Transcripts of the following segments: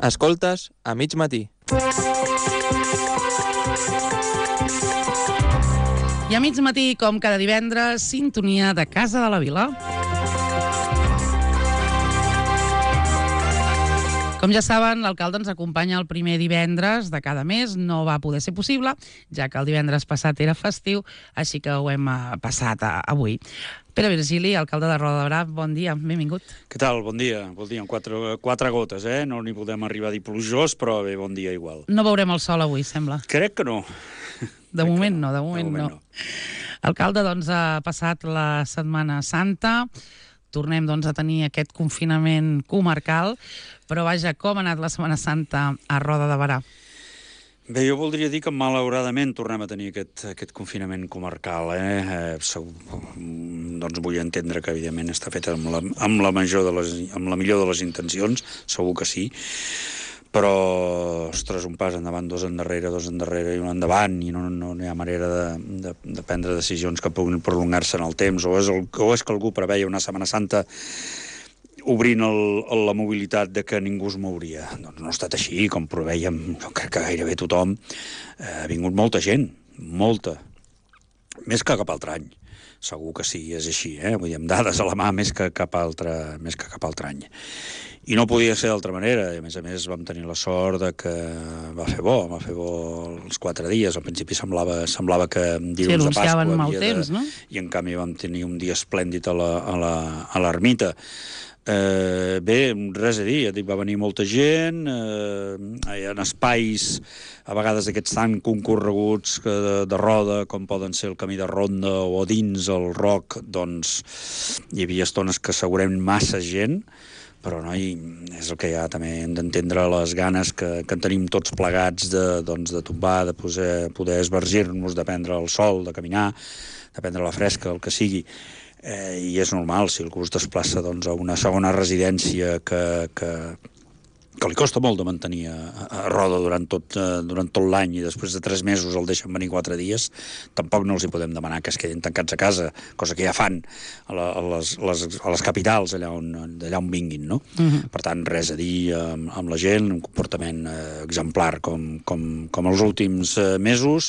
Escoltes a mig matí. I a mig matí, com cada divendres, sintonia de Casa de la Vila. Com ja saben, l'alcalde ens acompanya el primer divendres de cada mes. No va poder ser possible, ja que el divendres passat era festiu, així que ho hem passat avui. Pere Virgili, alcalde de Roda de Berà, bon dia, benvingut. Què tal? Bon dia. Amb quatre gotes, No n'hi podem arribar a dir plujós, però bé, bon dia igual. No veurem el sol avui, sembla. Crec que no. De moment no. Alcalde, doncs, ha passat la Setmana Santa, tornem doncs, a tenir aquest confinament comarcal, però vaja, com ha anat la Setmana Santa a Roda de Berà? Bé, jo voldria dir que malauradament tornem a tenir aquest confinament comarcal. Doncs vull entendre que, evidentment, està fet amb la millor de les intencions, segur que sí, però, ostres, un pas endavant, dos endarrere i un endavant, i no hi ha manera de prendre decisions que puguin prolongar-se en el temps, o és que algú preveia una Setmana Santa obrint la mobilitat de que ningú es mouria. Doncs no ha estat així, com preveiem, jo crec que gairebé tothom. Ha vingut molta gent, molta, més que cap altre any. Segur que sí, és així, Vull dir, amb dades a la mà més que cap altre any. I no podia ser d'altra manera, i a més vam tenir la sort de que va fer bo els 4 dies. Al principi semblava que dilluns de Pasqua no? I en canvi vam tenir un dia esplèndid a l'ermita. Bé, res a dir, ja dic, va venir molta gent, en espais a vegades d'aquests tan concorreguts de roda, com poden ser el camí de Ronda o dins el Roc, doncs hi havia estones que assegurem massa gent, però no, és el que hi ha, també hem d'entendre les ganes que tenim tots plegats de tombar, de poder esvergir-nos, de prendre el sol, de caminar, de prendre la fresca, el que sigui. I és normal, si algú es desplaça a una segona residència que li costa molt de mantenir a Roda durant tot l'any, i després de 3 mesos el deixen venir 4 dies, tampoc no els hi podem demanar que es quedin tancats a casa, cosa que ja fan a les capitals, allà on vinguin, no? Per tant, res a dir amb la gent, un comportament exemplar com els últims mesos.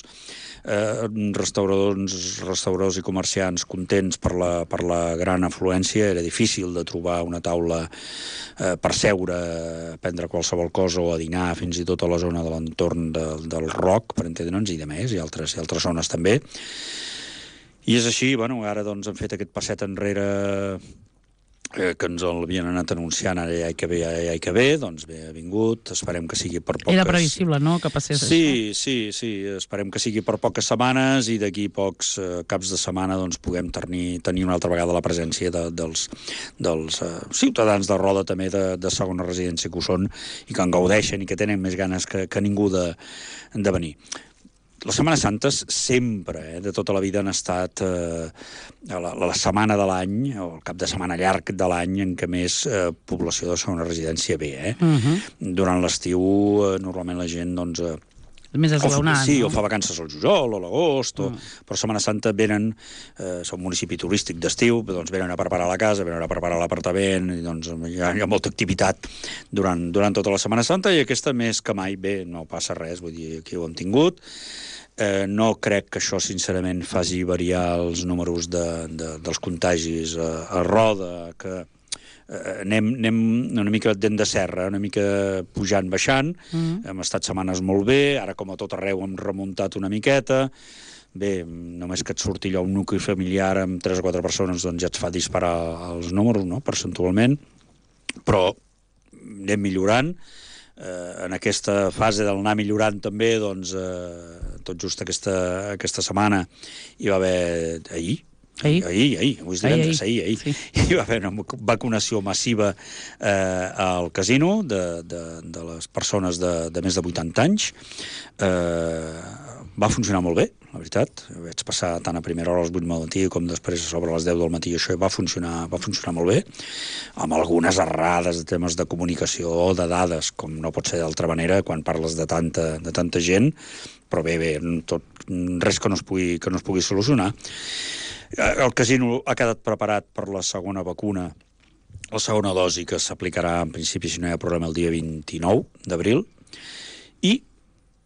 Restauradors i comerciants contents per la gran afluència. Era difícil de trobar una taula per seure, a prendre qualsevol cosa o a dinar, fins i tot a la zona de l'entorn del Roc, per entendre'ns, i de més, i altres zones també. I és així, ara doncs hem fet aquest passet enrere que ens l'havien anat anunciant, ara ja hi que ve, doncs bé, ha vingut, esperem que sigui per poques... Era previsible, no?, que passés això? Sí, esperem que sigui per poques setmanes, i d'aquí pocs caps de setmana doncs puguem tenir una altra vegada la presència dels ciutadans de Roda, també de segona residència que ho són, i que en gaudeixen i que tenen més ganes que ningú de venir. Les Setmanes Santes sempre, de tota la vida, han estat la setmana de l'any, o el cap de setmana llarg de l'any, en què més població de segona residència ve. Durant l'estiu, normalment la gent, doncs... més esglaonat, sí, no? O fa vacances al juliol o a l'agost, però Setmana Santa venen, som un municipi turístic d'estiu, doncs venen a preparar la casa, venen a preparar l'apartament, i doncs hi ha molta activitat durant tota la Setmana Santa, i aquesta més que mai, bé, no passa res, vull dir, aquí ho hem tingut. No crec que això, sincerament, faci variar els números dels contagis a Roda, que anem una mica dent de serra, una mica pujant, baixant. Hem estat setmanes molt bé, ara com a tot arreu hem remuntat una miqueta. Bé, només que et surti allò un nucli familiar amb 3 o 4 persones, doncs ja et fa disparar els números, no?, percentualment, però anem millorant. En aquesta fase del anar millorant també, doncs, tot just aquesta setmana hi va haver ahir, avui és divendres, ahir. Sí. Hi va haver una vacunació massiva al casino de les persones de més de 80 anys. Va funcionar molt bé, la veritat. Vaig passar tant a primera hora a les 8 del matí com després sobre les 10 del matí. Això va funcionar molt bé, amb algunes errades de temes de comunicació o de dades, com no pot ser d'altra manera quan parles de tanta gent, però bé, res que no es pugui solucionar. El casino ha quedat preparat per la segona vacuna La segona dosi que s'aplicarà, en principi, si no hi ha problema, el dia 29 d'abril. I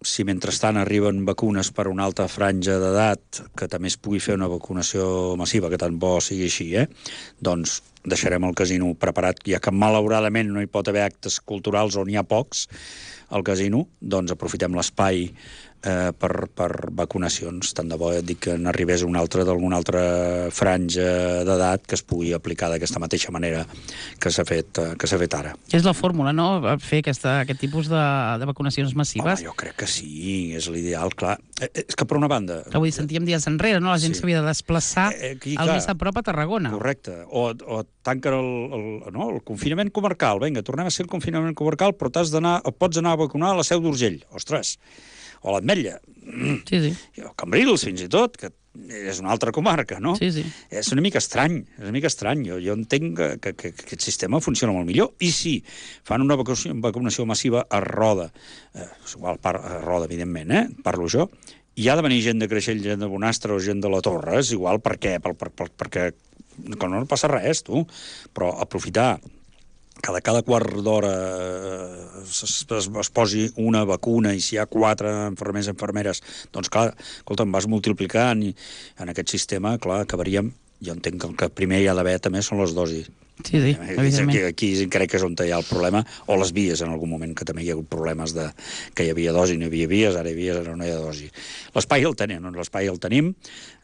si mentrestant arriben vacunes per una altra franja d'edat, que també es pugui fer una vacunació massiva, que tant bo sigui així, doncs deixarem el casino preparat, ja que malauradament no hi pot haver actes culturals on hi ha pocs al casino, doncs aprofitem l'espai per vacunacions. Tant de bo et dic que n'arribés d'alguna altra franja d'edat que es pugui aplicar d'aquesta mateixa manera que s'ha fet ara. És la fórmula, no?, fer aquest tipus de vacunacions massives. Jo crec que sí, és l'ideal, clar. És que per una banda... Avui sentíem dies enrere, no?, la gent s'havia de desplaçar al més a prop a Tarragona. Correcte. O tanquen el confinament comarcal. Vinga, tornem a ser el confinament comarcal, però pots anar a vacunar a la Seu d'Urgell. Ostres! O l'Ametlla. Sí. O Cambrils, fins i tot, que és una altra comarca, no? Sí. És una mica estrany, Jo entenc que aquest sistema funciona molt millor. I si fan una vacunació massiva a Roda, igual a Roda, evidentment, parlo jo, hi ha de venir gent de Creixell, gent de Bonastre o gent de la Torre, és igual per què? Perquè no passa res, tu. Però aprofitar cada quart d'hora es posi una vacuna i si hi ha 4 infermeres, doncs clar, escolta, em vas multiplicant i en aquest sistema, clar, acabaríem... Jo entenc que el que primer hi ha d'haver també són les dosis. Sí, evidentment. Aquí crec que és on hi ha el problema, o les vies en algun moment, que també hi ha hagut problemes que hi havia dosi, no hi havia vies, ara hi ha vies, ara no hi ha dosi. L'espai el tenim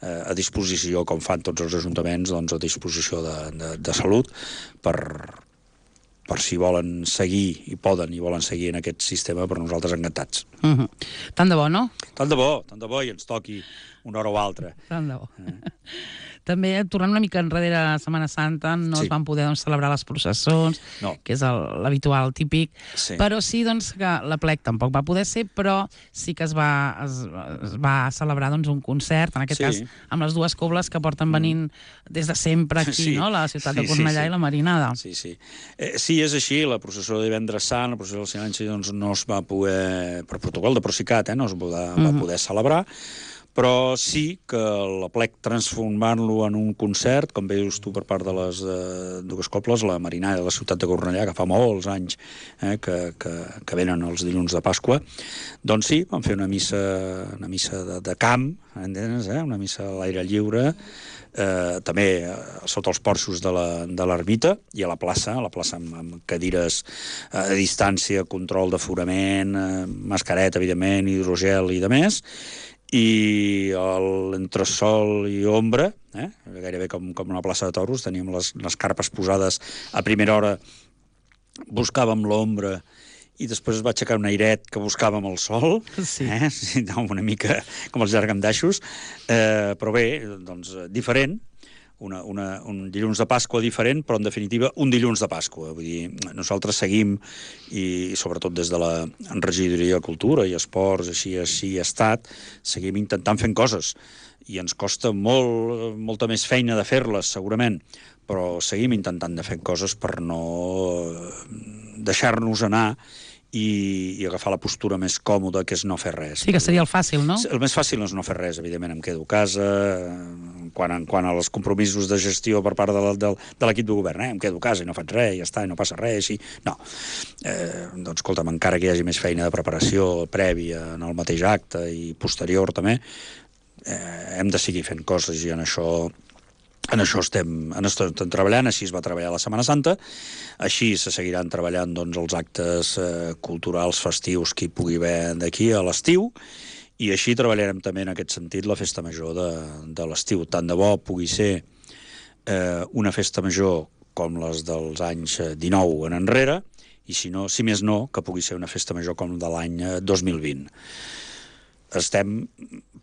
a disposició, com fan tots els ajuntaments, doncs a disposició de salut per si volen seguir, i volen seguir en aquest sistema, per nosaltres encantats. Tant de bo, no? Tant de bo, i ens toqui una hora o altra. Tant de bo. També, tornant una mica enrere a Setmana Santa, no es van poder celebrar les processons, que és l'habitual, típic, però sí que l'aplec tampoc va poder ser, però sí que es va celebrar un concert, en aquest cas amb les dues cobles que porten venint des de sempre aquí, no?, la ciutat de Cornellà i la Marinada. Sí, és així, la processó de Divendres Sant, la processó del Silenci, no es va poder, per protocol de Procicat, no es va poder celebrar, però sí que l'aplec transformant-lo en un concert, com bé dius tu, per part de les dues cobles, la Marinada de la ciutat de Cornellà, que fa molts anys que venen els dilluns de Pasqua, doncs sí, van fer una missa de camp, entens? Una missa a l'aire lliure, també sota els porxos de l'ermita i a la plaça amb cadires a distància, control d'aforament, mascareta, evidentment, hidrogel i demés, i l'entresol i ombra, gairebé com una plaça de toros, teníem les carpes posades a primera hora, buscàvem l'ombra i després es va aixecar un airet que buscàvem el sol, una mica com els llargandaixos, però bé, doncs diferent, un dilluns de Pasqua diferent, però en definitiva un dilluns de Pasqua. Vull dir, nosaltres seguim, i sobretot des de la regidoria de Cultura i Esports, així ha estat, seguim intentant fent coses. I ens costa molta més feina de fer-les, segurament, però seguim intentant de fer coses per no deixar-nos anar i agafar la postura més còmoda, que és no fer res. Sí, que seria el fàcil, no? El més fàcil és no fer res, evidentment, em quedo a casa, quan als compromisos de gestió per part de l'equip de govern, em quedo a casa i no faig res, ja està, i no passa res, i no. Doncs, escolta'm, encara que hi hagi més feina de preparació prèvia en el mateix acte i posterior també, hem de seguir fent coses i en això estem treballant. Així es va treballar la Setmana Santa, així se seguiran treballant els actes culturals festius que hi pugui haver d'aquí a l'estiu, i així treballarem també en aquest sentit la festa major de l'estiu. Tant de bo pugui ser una festa major com les dels anys 19 en enrere, i si més no, que pugui ser una festa major com de l'any 2020. Estem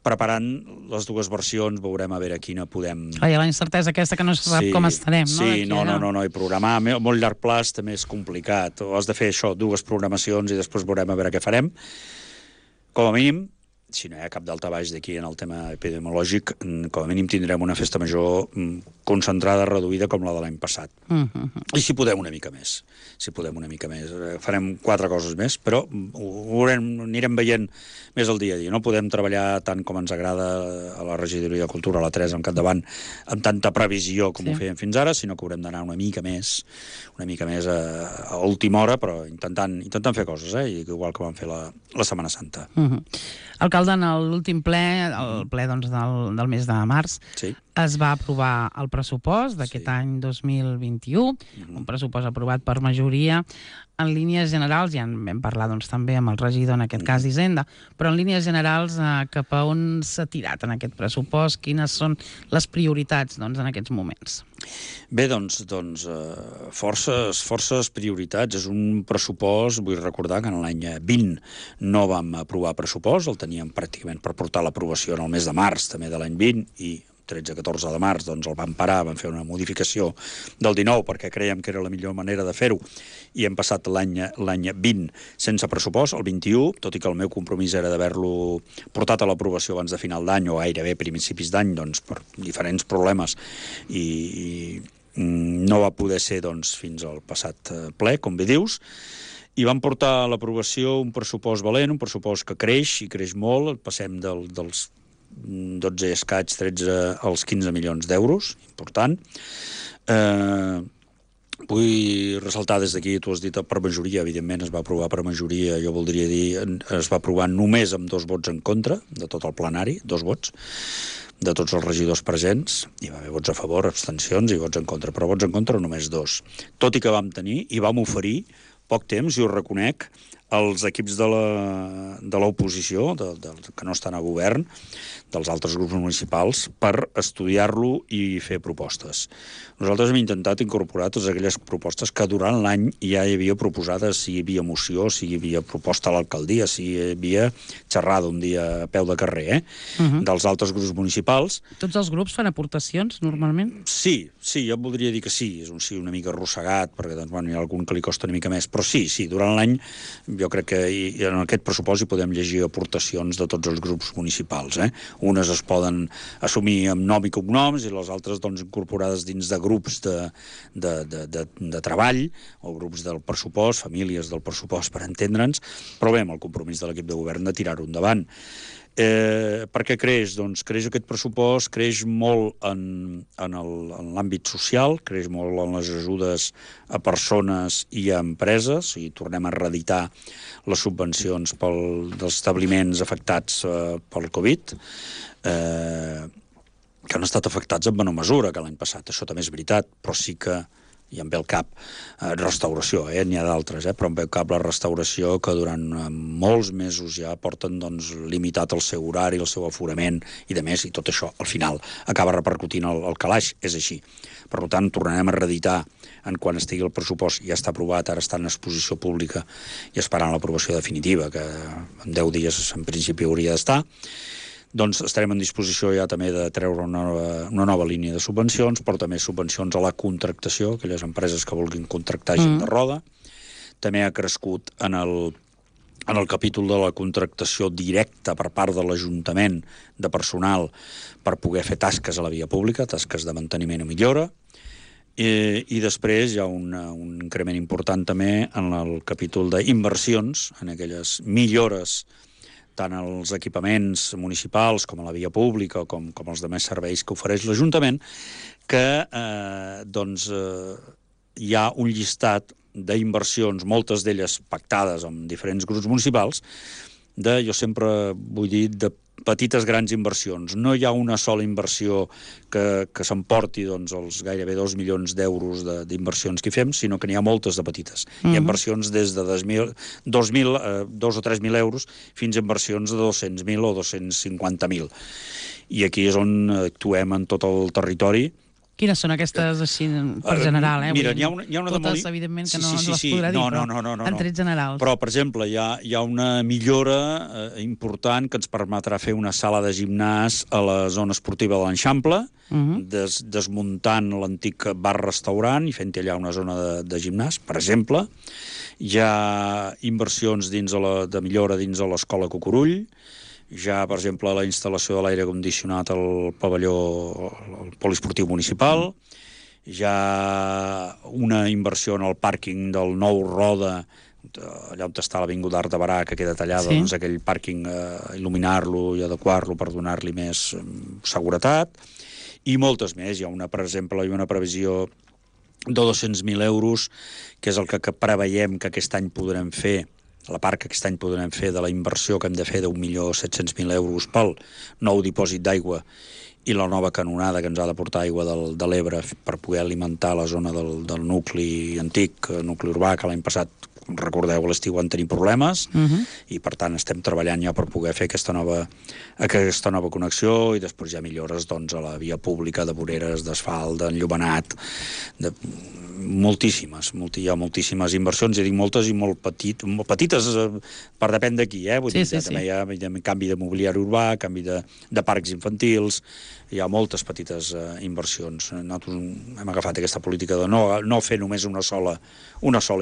preparant les dues versions, veurem a veure quina podem... Hi ha la incertesa aquesta que no se sap com estarem, no? Sí, no, i programar a molt llarg plaç també és complicat. Has de fer això, dues programacions, i després veurem a veure què farem. Com a mínim, si no hi ha cap daltabaix d'aquí en el tema epidemiològic, com a mínim tindrem una festa major concentrada, reduïda, com la de l'any passat. I si podem una mica més. Farem 4 coses més, però anirem veient més el dia a dia. No podem treballar tant com ens agrada a la regidoria de Cultura, a la 3, amb capdavant, amb tanta previsió com ho fèiem fins ara, sinó que haurem d'anar una mica més a última hora, però intentant fer coses, igual que vam fer la Setmana Santa. Alcalde, en l'últim ple, el ple doncs, del mes de març, es va aprovar el pressupost d'aquest any 2021, un pressupost aprovat per majoria. En línies generals, ja en vam parlar doncs, també amb el regidor, en aquest cas d'Hisenda, però en línies generals, cap a on s'ha tirat en aquest pressupost? Quines són les prioritats en aquests moments? Bé, doncs forces prioritats. És un pressupost, vull recordar que en l'any 20 no vam aprovar pressupost, el teníem pràcticament per portar l'aprovació en el mes de març també de l'any 20, i 13-14 de març doncs el vam parar, vam fer una modificació del 19 perquè creiem que era la millor manera de fer-ho, i hem passat l'any 20 sense pressupost, el 21, tot i que el meu compromís era d'haver-lo portat a l'aprovació abans de final d'any o gairebé principis d'any, doncs per diferents problemes, i no va poder ser doncs, fins al passat ple, com bé dius, i vam portar a l'aprovació un pressupost valent, un pressupost que creix, i creix molt. Passem dels 12 escaig, 13 als 15 milions d'euros, important. Vull ressaltar des d'aquí, tu has dit per majoria, evidentment es va aprovar per majoria, jo voldria dir, es va aprovar només amb 2 vots en contra, de tot el plenari, 2 vots, de tots els regidors presents. Hi va haver vots a favor, abstencions i vots en contra, però vots en contra només 2. Tot i que vam tenir i vam oferir poc temps, i ho reconec, els equips de l'oposició, que no estan a govern, dels altres grups municipals, per estudiar-lo i fer propostes. Nosaltres hem intentat incorporar totes aquelles propostes que durant l'any ja hi havia proposades, si hi havia moció, si hi havia proposta a l'alcaldia, si hi havia xerrada un dia a peu de carrer, dels altres grups municipals. Tots els grups fan aportacions, normalment? Sí, jo voldria dir que sí. És un sí una mica arrossegat, perquè doncs, hi ha algun que li costa una mica més, però sí, durant l'any jo crec que en aquest pressupost hi podem llegir aportacions de tots els grups municipals. Unes es poden assumir amb nom i cognoms i les altres doncs, incorporades dins de grups de treball o grups del pressupost, famílies del pressupost, per entendre'ns, però bé, amb el compromís de l'equip de govern de tirar-ho endavant. Per què creix? Doncs creix aquest pressupost, creix molt en l'àmbit social, creix molt en les ajudes a persones i a empreses, i tornem a reeditar les subvencions dels establiments afectats pel Covid, que han estat afectats en menor mesura que l'any passat. Això també és veritat, però sí que i em ve al cap restauració, n'hi ha d'altres, però em ve al cap la restauració, que durant molts mesos ja porten doncs, limitat el seu horari, el seu aforament i de més, i tot això al final acaba repercutint el calaix, és així. Per tant, tornarem a reeditar en quan estigui el pressupost, ja està aprovat, ara està en exposició pública i esperant l'aprovació definitiva, que en 10 dies en principi hauria d'estar. Doncs estarem en disposició ja també de treure una nova línia de subvencions, però també subvencions a la contractació, aquelles empreses que vulguin contractar gent de roda. També ha crescut en el capítol de la contractació directa per part de l'Ajuntament de personal per poder fer tasques a la via pública, tasques de manteniment i millora. I després hi ha un increment important també en el capítol d'inversions, en aquelles millores tant als equipaments municipals com a la via pública com els demés serveis que ofereix l'Ajuntament, que hi ha un llistat d'inversions, moltes d'elles pactades amb diferents grups municipals, jo sempre vull dir, de petites grans inversions. No hi ha una sola inversió que s'emporti els gairebé 2 milions d'euros d'inversions que hi fem, sinó que n'hi ha moltes de petites. Hi ha inversions des de 2 o 3.000 euros fins a inversions de 200.000 o 250.000. I aquí és on actuem en tot el territori. Quines són aquestes, així, per general? Mira, n'hi ha una de totes, evidentment, que no ens les podrà dir, però en trets generals. Però, per exemple, hi ha una millora important que ens permetrà fer una sala de gimnàs a la zona esportiva de l'Eixample, desmuntant l'antic bar-restaurant i fent allà una zona de gimnàs, per exemple. Hi ha inversions de millora dins de l'escola Cucurull, ja, per exemple, la instal·lació de l'aire condicionat al pavelló, al poliesportiu municipal, ja una inversió en el pàrquing del nou Roda, allà on està l'Avinguda d'Art de Barà, que queda tallada, doncs aquell pàrquing, il·luminar-lo i adequar-lo per donar-li més seguretat, i moltes més. Hi ha per exemple, una previsió de 200.000 euros, que és el que preveiem que aquest any podrem fer, la part que aquest any podrem fer de la inversió que hem de fer d'1.700.000 euros pel nou dipòsit d'aigua i la nova canonada que ens ha de portar aigua de l'Ebre per poder alimentar la zona del nucli antic, nucli urbà, que l'any passat, com recordeu, a l'estiu van tenir problemes, i per tant estem treballant ja per poder fer aquesta nova connexió, i després hi ha millores doncs, a la via pública, de voreres, d'asfalt, d'enllumenat, moltíssimes, hi ha moltíssimes inversions, ja dic moltes i molt petites, per depèn d'aquí, vull dir, també hi ha canvi de mobiliari urbà, canvi de parcs infantils, hi ha moltes petites inversions. Nosaltres hem agafat aquesta política de no fer només una sola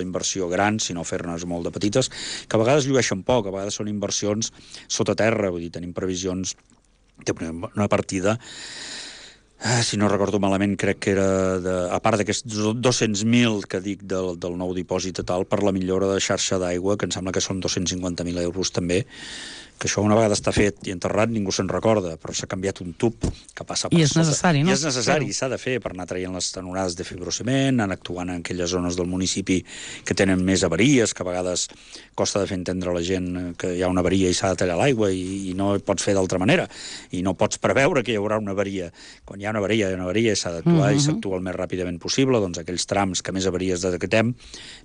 inversió gran, sinó fer-ne molt de petites, que a vegades llueixen poc, a vegades són inversions sota terra, vull dir, tenim previsions d'una partida, si no recordo malament, crec que era, a part d'aquests 200.000 que dic del nou dipòsit i tal, per la millora de xarxa d'aigua, que em sembla que són 250.000 euros també, que això una vegada està fet i enterrat ningú se'n recorda, però s'ha canviat un tub que passa per sota. I és necessari, no? I és necessari, s'ha de fer per anar traient les canonades de fibrociment, anar actuant en aquelles zones del municipi que tenen més avaries, que a vegades costa de fer entendre a la gent que hi ha una avaria i s'ha de tallar l'aigua i no ho pots fer d'altra manera, i no pots preveure que hi haurà una avaria. Quan hi ha una avaria i s'ha d'actuar i s'actua el més ràpidament possible, doncs aquells trams que més avaries detectem,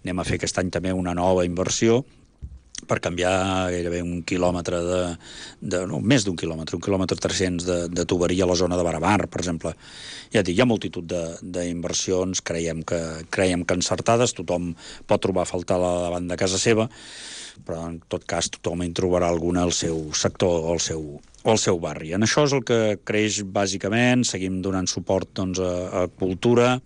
anem a fer aquest any també una nova inversió per canviar gairebé un quilòmetre més d'un quilòmetre, 1 quilòmetre 300 de tuberia a la zona de Baramar, per exemple. Ja dic, hi ha multitud d'inversions, creiem que encertades, tothom pot trobar a faltar davant de casa seva, però en tot cas tothom hi trobarà alguna al seu sector o al seu barri. En això és el que creix bàsicament. Seguim donant suport doncs, a cultura,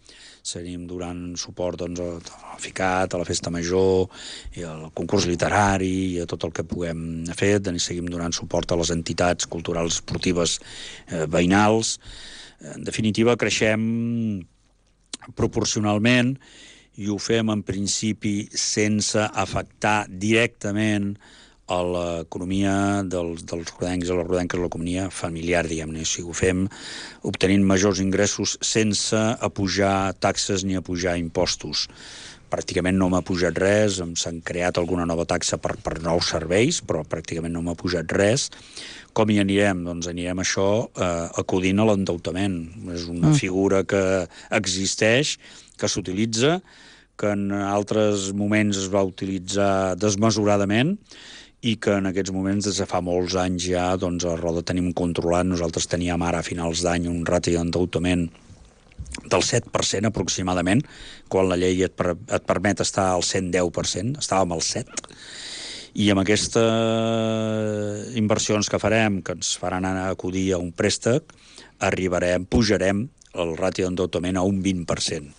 seguim donant suport doncs, al FICAT, a la Festa Major, i al concurs literari, i a tot el que puguem fer. Seguim donant suport a les entitats culturals esportives veïnals. En definitiva, creixem proporcionalment i ho fem en principi sense afectar directament a l'economia dels rodencs i les rodenques, l'economia familiar, diguem-ne. O sigui, ho fem obtenint majors ingressos sense apujar taxes ni apujar impostos. Pràcticament no m'ha pujat res, s'han creat alguna nova taxa per nous serveis, però pràcticament no m'ha pujat res. Com hi anirem? Doncs anirem això acudint a l'endeutament. És una figura que existeix, que s'utilitza, que en altres moments es va utilitzar desmesuradament i que en aquests moments, des de fa molts anys ja, doncs a Roda tenim controlat. Nosaltres teníem ara a finals d'any un ràtio d'endeutament del 7% aproximadament, quan la llei et permet estar al 110%, estàvem al 7%, i amb aquestes inversions que farem, que ens faran anar a acudir a un préstec, pujarem el ràtio d'endeutament a un 20%.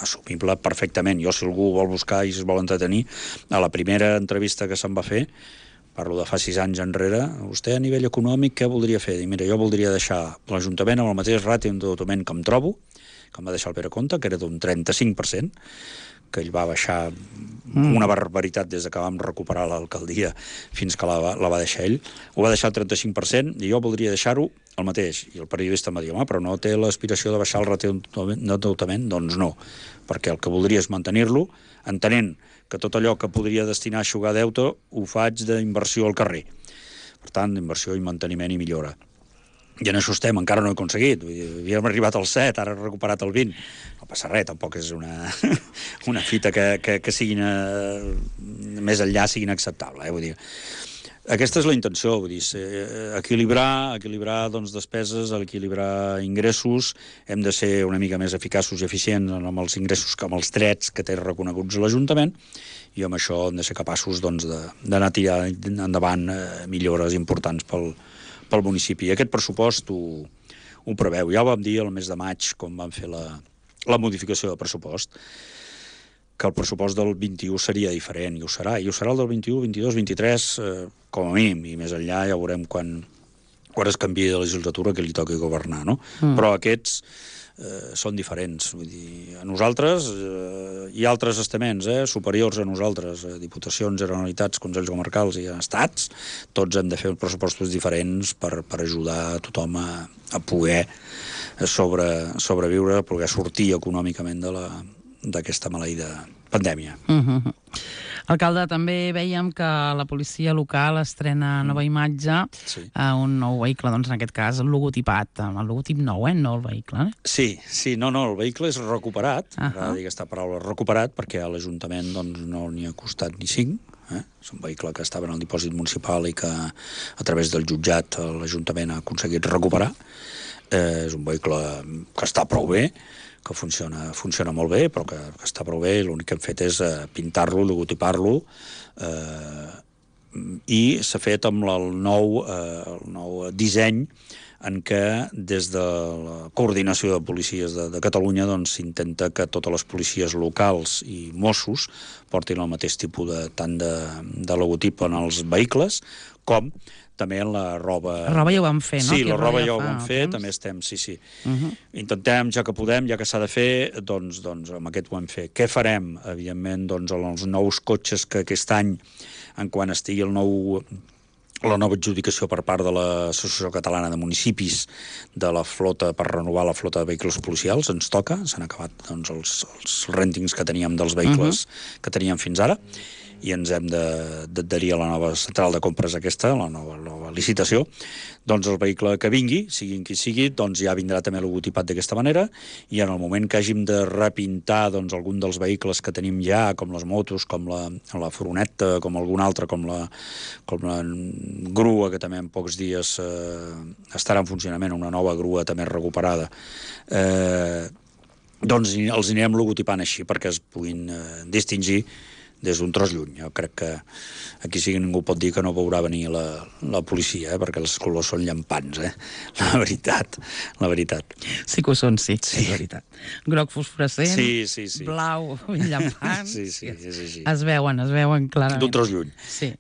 Assumible perfectament. Jo, si algú vol buscar i es vol entretenir, a la primera entrevista que se'n va fer, parlo de fa 6 anys enrere, vostè a nivell econòmic què voldria fer? Dic, mira, jo voldria deixar l'Ajuntament amb el mateix ràtio d'endeutament que em trobo, que em va deixar el Pere Comte, que era d'un 35%, que ell va baixar una barbaritat des que vam recuperar l'alcaldia fins que la va deixar ell. Ho va deixar el 35% i jo voldria deixar-ho el mateix. I el periodista em va dir, home, però no té l'aspiració de baixar el ràtio d'endeutament? Doncs no, perquè el que voldria és mantenir-lo, entenent que tot allò que podria destinar a eixugar deute ho faig d'inversió al carrer. Per tant, d'inversió i manteniment i millora. I en això estem, encara no he aconseguit. Havíem arribat al 7, ara he recuperat el 20. No passa res, tampoc és una fita que siguin més enllà siguin acceptable. Vull dir, aquesta és la intenció, vull dir, equilibrar doncs, despeses, equilibrar ingressos. Hem de ser una mica més eficaços i eficients amb els ingressos que amb els drets que té reconeguts l'Ajuntament, i amb això hem de ser capaços doncs, d'anar tirant endavant millores importants pel municipi. Aquest pressupost ho preveu. Ja ho vam dir el mes de maig, quan vam fer la modificació de pressupost. que el pressupost del 21 seria diferent, i ho serà el del 21, 22, 23, com a mínim, i més enllà ja veurem quan es canviï de legislatura que li toqui governar, no? Però aquests són diferents. Vull dir, a nosaltres i altres estaments superiors a nosaltres, diputacions, generalitats, consells comarcals i estats, tots hem de fer pressupostos diferents per ajudar tothom a poder sobreviure, a poder sortir econòmicament d'aquesta maleïda pandèmia. Alcalde, també veiem que la policia local estrena nova imatge, un nou vehicle, doncs en aquest cas el logotipat, amb el logotip nou, no el vehicle. Sí, no, el vehicle és recuperat, m'agrada dir aquesta paraula, recuperat, perquè a l'Ajuntament no n'hi ha costat ni 5, és un vehicle que estava en el dipòsit municipal i que a través del jutjat l'Ajuntament ha aconseguit recuperar. És un vehicle que està prou bé, que funciona molt bé, però que està prou bé, i l'únic que hem fet és pintar-lo, logotipar-lo, i s'ha fet amb el nou disseny en què des de la coordinació de policies de Catalunya s'intenta que totes les policies locals i Mossos portin el mateix tipus tant de logotip en els vehicles com també en la roba... La roba ja ho vam fer, no? Sí, la roba ja ho vam fer, també estem, sí. Intentem, ja que podem, ja que s'ha de fer, doncs amb aquest ho hem fet. Què farem? Evidentment, els nous cotxes que aquest any, en quan estigui la nova adjudicació per part de l'Associació Catalana de Municipis de la flota, per renovar la flota de vehicles policials, ens toca, s'han acabat els rèntings que teníem dels vehicles que teníem fins ara, i ens hem d'adherir a la nova central de compres aquesta, la nova licitació. Doncs el vehicle que vingui, sigui qui sigui, ja vindrà també logotipat d'aquesta manera, i en el moment que hàgim de repintar algun dels vehicles que tenim ja, com les motos, com la furgoneta, com algun altre, com la grua, que també en pocs dies estarà en funcionament, una nova grua també recuperada, doncs els anirem logotipant així perquè es puguin distingir des d'un tros lluny. Jo crec que aquí sí que ningú pot dir que no veurà venir la policia, perquè els colors són llampants, la veritat. Sí que ho són, sí, és veritat. Groc fosforescent, sí. Blau llampant. Sí, és així. Es veuen clarament. D'un tros lluny. Sí.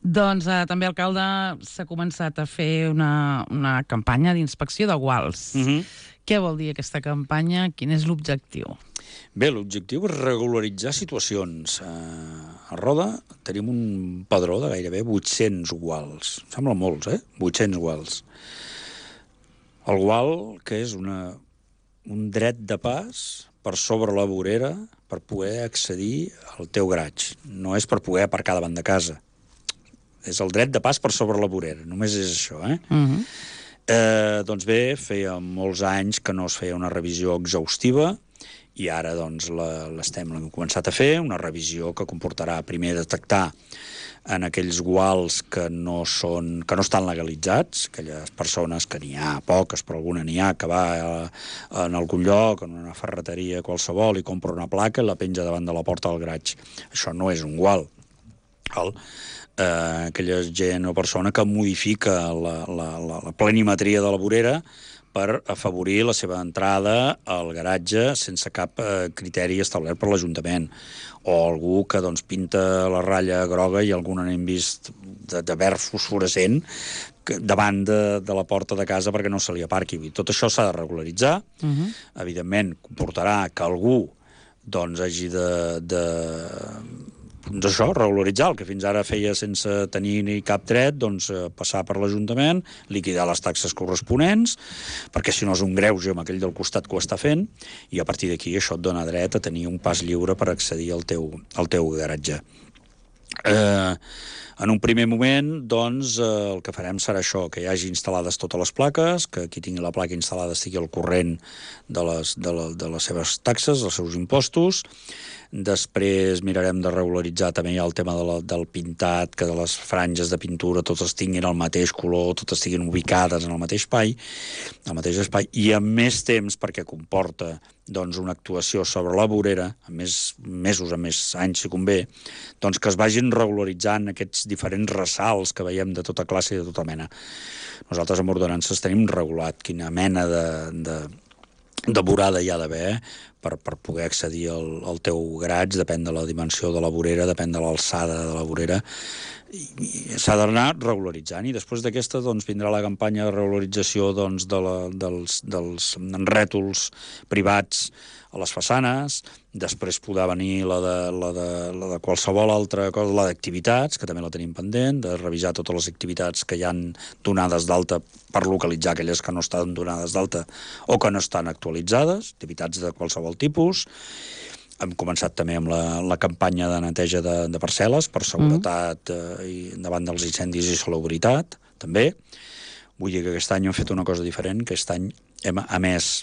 Doncs també, alcalde, s'ha començat a fer una campanya d'inspecció de guals. Què vol dir aquesta campanya? Quin és l'objectiu? Bé, l'objectiu és regularitzar situacions. A Roda tenim un padró de gairebé 800 guals. Sembla molts, 800 guals. El gual, que és un dret de pas per sobre la vorera per poder accedir al teu garatge. No és per poder aparcar davant de casa. És el dret de pas per sobre la vorera. Només és això, Doncs bé, feia molts anys que no es feia una revisió exhaustiva, i ara l'hem començat a fer, una revisió que comportarà primer detectar en aquells guals que no estan legalitzats, aquelles persones que n'hi ha poques, però alguna n'hi ha, que va en algun lloc, en una ferreteria qualsevol, i compra una placa i la penja davant de la porta del garatge. Això no és un gual. Aquella gent o persona que modifica la planimetria de la vorera per afavorir la seva entrada al garatge sense cap criteri establert per l'Ajuntament, o algú que pinta la ratlla groga i algun n'hem vist de verd fosforescent davant de la porta de casa perquè no se li aparqui. Tot això s'ha de regularitzar. Evidentment, comportarà que algú hagi d'això, regularitzar, el que fins ara feia sense tenir ni cap dret, passar per l'Ajuntament, liquidar les taxes corresponents, perquè si no és un greuge amb aquell del costat que ho està fent, i a partir d'aquí això et dona dret a tenir un pas lliure per accedir al teu garatge. En un primer moment, el que farem serà això, que hi hagi instal·lades totes les plaques, que qui tingui la placa instal·lada estigui al corrent de les seves taxes, dels seus impostos. Després mirarem de regularitzar també el tema del pintat, que de les franges de pintura totes tinguin el mateix color, totes estiguin ubicades en el mateix espai, i amb més temps, perquè comporta una actuació sobre la vorera, amb més mesos, amb més anys, si convé, que es vagin regularitzant aquests diferents ressalts que veiem de tota classe i de tota mena. Nosaltres amb ordenances tenim regulat quina mena de vorada hi ha d'haver per poder accedir al teu garatge, depèn de la dimensió de la vorera, depèn de l'alçada de la vorera, i s'ha d'anar regularitzant, i després d'aquesta doncs, vindrà la campanya de regularització doncs, dels rètols privats a les façanes, després podrà venir la de qualsevol altra cosa, la d'activitats, que també la tenim pendent, de revisar totes les activitats que hi han donades d'alta per localitzar aquelles que no estan donades d'alta o que no estan actualitzades, activitats de qualsevol tipus. Hem començat també amb la campanya de neteja de parcel·les per seguretat i davant dels incendis i salubritat, també. Vull dir que aquest any hem fet una cosa diferent, que aquest any hem emès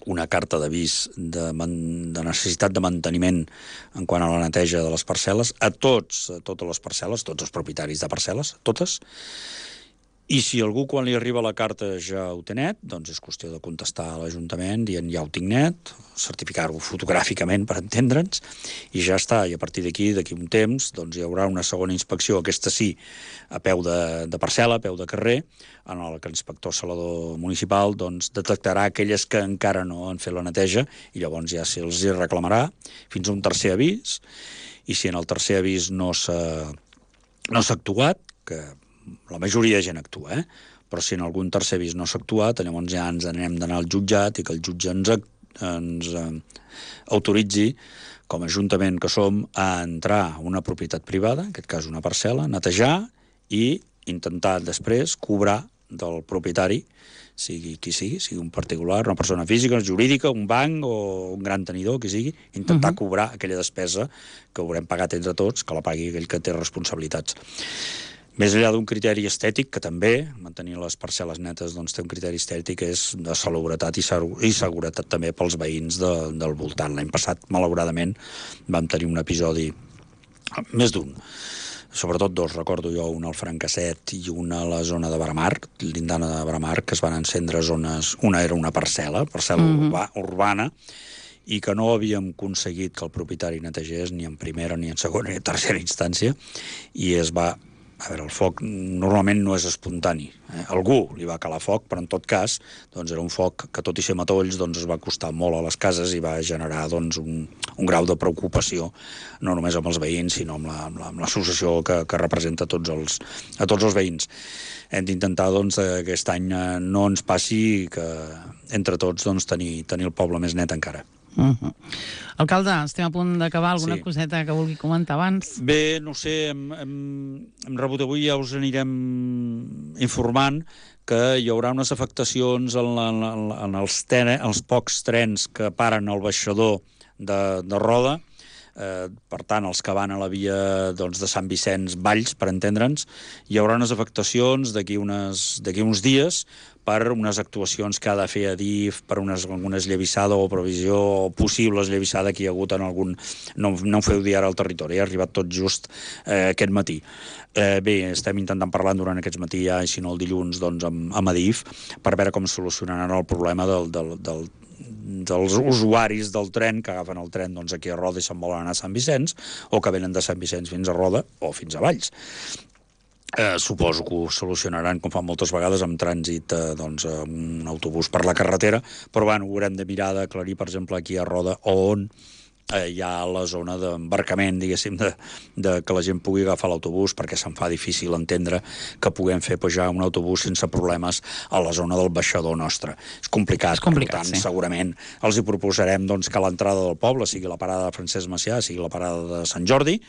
una carta d'avís de necessitat de manteniment en quant a la neteja de les parcel·les a totes les parcel·les, tots els propietaris de parcel·les, totes. I si algú quan li arriba la carta ja ho té net, doncs és qüestió de contestar a l'Ajuntament dient ja ho tinc net, certificar-ho fotogràficament per entendre'ns, i ja està. I a partir d'aquí un temps, doncs hi haurà una segona inspecció, aquesta sí, a peu de parcel·la, a peu de carrer, en el que l'inspector salador municipal doncs, detectarà aquelles que encara no han fet la neteja, i llavors ja se'ls reclamarà fins a un tercer avís, i si en el tercer avís no s'ha actuat, que la majoria de gent actua, però si en algun tercer avís no s'ha actuat, llavors ja ens n'hem d'anar al jutjat i que el jutge ens autoritzi, com a ajuntament que som, a entrar a una propietat privada, en aquest cas una parcel·la, netejar i intentar després cobrar del propietari, sigui qui sigui un particular, una persona física, jurídica, un banc o un gran tenidor, qui sigui, intentar cobrar aquella despesa que haurem pagat entre tots, que la pagui aquell que té responsabilitats. Més enllà d'un criteri estètic, que també, mantenir les parcel·les netes, doncs té un criteri estètic, és de salubritat i seguretat també pels veïns del voltant. L'any passat, malauradament, vam tenir un episodi, més d'un, sobretot dos, recordo jo, un al Francasset i una a la zona de Bramar, l'Indana de Bramar, que es van encendre zones... Una era una parcel·la urbana, i que no havíem aconseguit que el propietari netegés ni en primera, ni en segona, ni en tercera instància, i es va... A veure, el foc normalment no és espontani. Algú li va calar foc, però en tot cas doncs era un foc que, tot i ser matolls, doncs es va costar molt a les cases i va generar doncs, un grau de preocupació, no només amb els veïns, sinó amb l'associació que representa a tots els veïns. Hem d'intentar doncs, que aquest any no ens passi, que entre tots doncs, tenir el poble més net encara. Alcalde, estem a punt d'acabar. Alguna coseta que vulgui comentar abans? Bé, no sé, hem rebut avui, ja us anirem informant que hi haurà unes afectacions en els pocs trens que paren al baixador de Roda. Per tant, els que van a la via doncs, de Sant Vicenç Valls, per entendre'ns, hi haurà unes afectacions d'aquí uns dies per unes actuacions que ha de fer Adif, per alguna esllavissada o previsió o possible esllavissada que hi ha hagut en algun... No ho feu dir ara al territori, ha arribat tot just aquest matí. Bé, estem intentant parlar durant aquest matí ja, i si no el dilluns, doncs, amb Adif, per veure com solucionaran el problema dels usuaris del tren que agafen el tren doncs, aquí a Roda i se'n volen anar a Sant Vicenç, o que venen de Sant Vicenç fins a Roda o fins a Valls. Suposo que ho solucionaran, com fan moltes vegades, amb trànsit un autobús per la carretera, però bueno, ho haurem de mirar d'aclarir, per exemple, aquí a Roda, on hi ha la zona d'embarcament, diguéssim, que la gent pugui agafar l'autobús, perquè se'n fa difícil entendre que puguem fer pujar un autobús sense problemes a la zona del baixador nostre. És complicat, per tant, sí. Segurament els hi proposarem doncs, que l'entrada del poble sigui la parada de Francesc Macià, sigui la parada de Sant Jordi.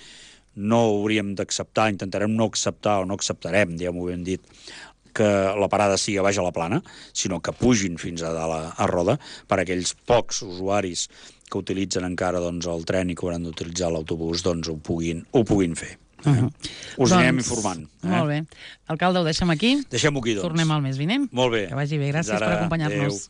No hauríem d'acceptar, intentarem no acceptar o no acceptarem, ja m'ho hem dit, que la parada sigui a baix a la Plana, sinó que pugin fins a dalt a Roda, per a aquells pocs usuaris que utilitzen encara doncs, el tren i que hauran d'utilitzar l'autobús, doncs ho puguin fer. Us anirem informant. Molt bé. Alcalde, ho deixem aquí? Deixem-ho aquí, doncs. Tornem al mes vinent. Molt bé. Que vagi bé. Gràcies per acompanyar-nos.